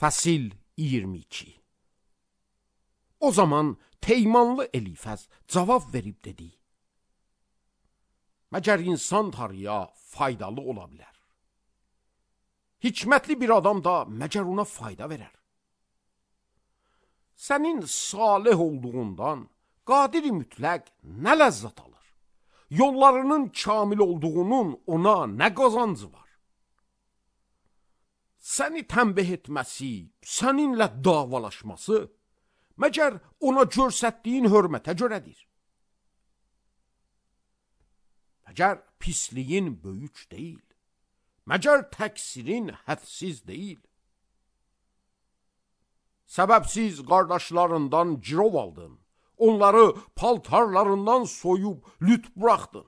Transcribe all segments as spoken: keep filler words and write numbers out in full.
Fəsil iyirmi iki. O zaman Teymanlı Elifəz cavab verib dedi: Məgər insan tarıya faydalı ola bilər? Hikmətli bir adam da məgər ona fayda verər? Sənin salih olduğundan qadir-i mütləq nə ləzzət alır? Yollarının kamil olduğunun ona nə qazancı var? Səni tənbih etməsi, səninlə davalaşması, məgər ona görsətdiyin hörmətə görədir? Məgər pisliyin böyük deyil, məgər təqsirin hədsiz deyil. Səbəbsiz qardaşlarından girov aldın, onları paltarlarından soyub lüt buraxdın.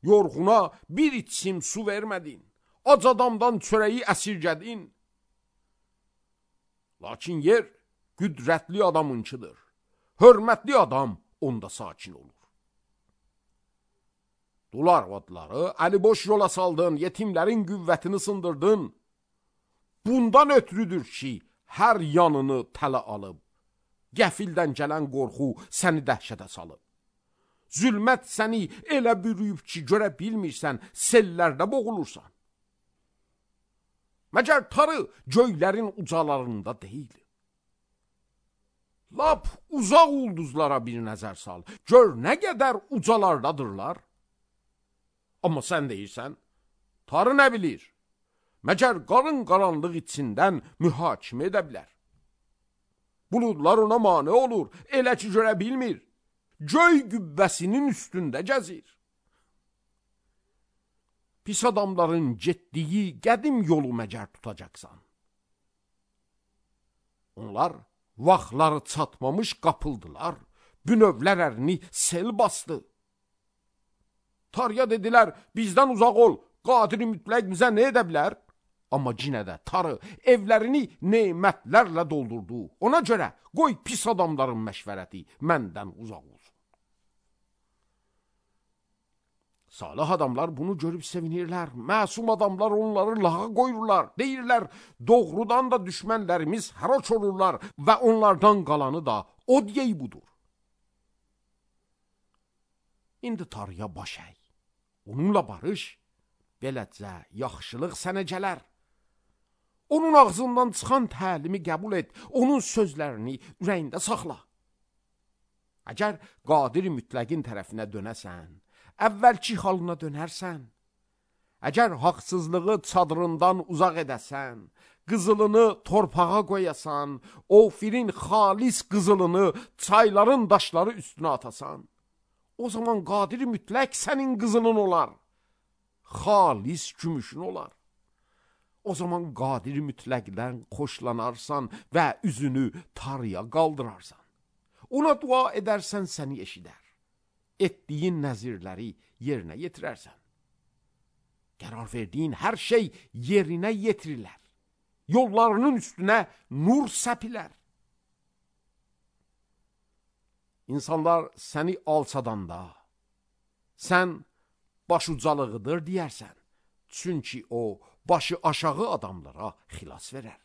Yorğuna bir içim su vermədin, ac adamdan çörəyi əsirgədin. Lakin yer qüdrətli adamınçıdır, hörmətli adam onda sakin olur. Dul arvadları əliboş yola saldın, yetimlərin qüvvətini sındırdın. Bundan ötürüdür ki, hər yanını tələ alıb, qəfildən gələn qorxu səni dəhşətə salıb. Zülmət səni elə bürüyüb ki, görə bilmirsən, sellərdə boğulursan. Məgər tarı göylərin ucalarında deyil. Lap uzaq ulduzlara bir nəzər sal, gör nə qədər ucalardadırlar. Amma sən deyirsən, tarı nə bilir? Məgər qarın qaranlıq içindən mühakimə edə bilər? Buludlar ona mane olur, elə ki görə bilmir. Göy qübbəsinin üstündə gəzir. Pis adamların getdiyi qədim yolu məgər tutacaqsan? Onlar vaxtları çatmamış qapıldılar, bünövlər ərini sel bastı. Tarıya dedilər, bizdən uzaq ol, qadir-i mütləq bizə nə edə bilər? Amma cinə də tarı evlərini nemətlərlə doldurdu. Ona görə qoy pis adamların məşvərəti məndən uzaq olsun. Salih adamlar bunu görüb sevinirlər. Məsum adamlar onları lağa qoyurlar. Deyirlər, doğrudan da düşmənlərimiz haraç olurlar və onlardan qalanı da o deyey budur. İndi tarıya baş əy. Onunla barış, beləcə yaxşılıq sənə gələr. Onun ağzından çıxan təlimi qəbul et, onun sözlərini ürəyində saxla. Əgər qadir-i mütləqin tərəfinə dönəsən, əvvəlki halına dönərsən, əgər haqsızlığı çadırından uzaq edəsən, qızılını torpağa qoyasan, Ofirin xalis qızılını çayların daşları üstünə atasan, o zaman qadir-i mütləq sənin qızılın olar, xalis gümüşün olar. O zaman qadir-i mütləqdən xoşlanarsan və üzünü tarıya qaldırarsan. Ona dua edərsən, səni eşidər. Etdiyin nəzirləri yerinə yetirərsən. Qərar verdiyin hər şey yerinə yetirilər. Yollarının üstünə nur səpilər. İnsanlar səni alçadanda, sən başucalığıdır deyərsən. Çünki o, başı aşağı adamlara xilas verər.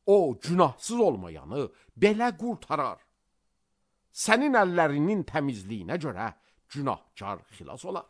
O, günahsız olmayanı belə qurtarar. Sənin əllərinin təmizliyinə görə günahkar xilas olar.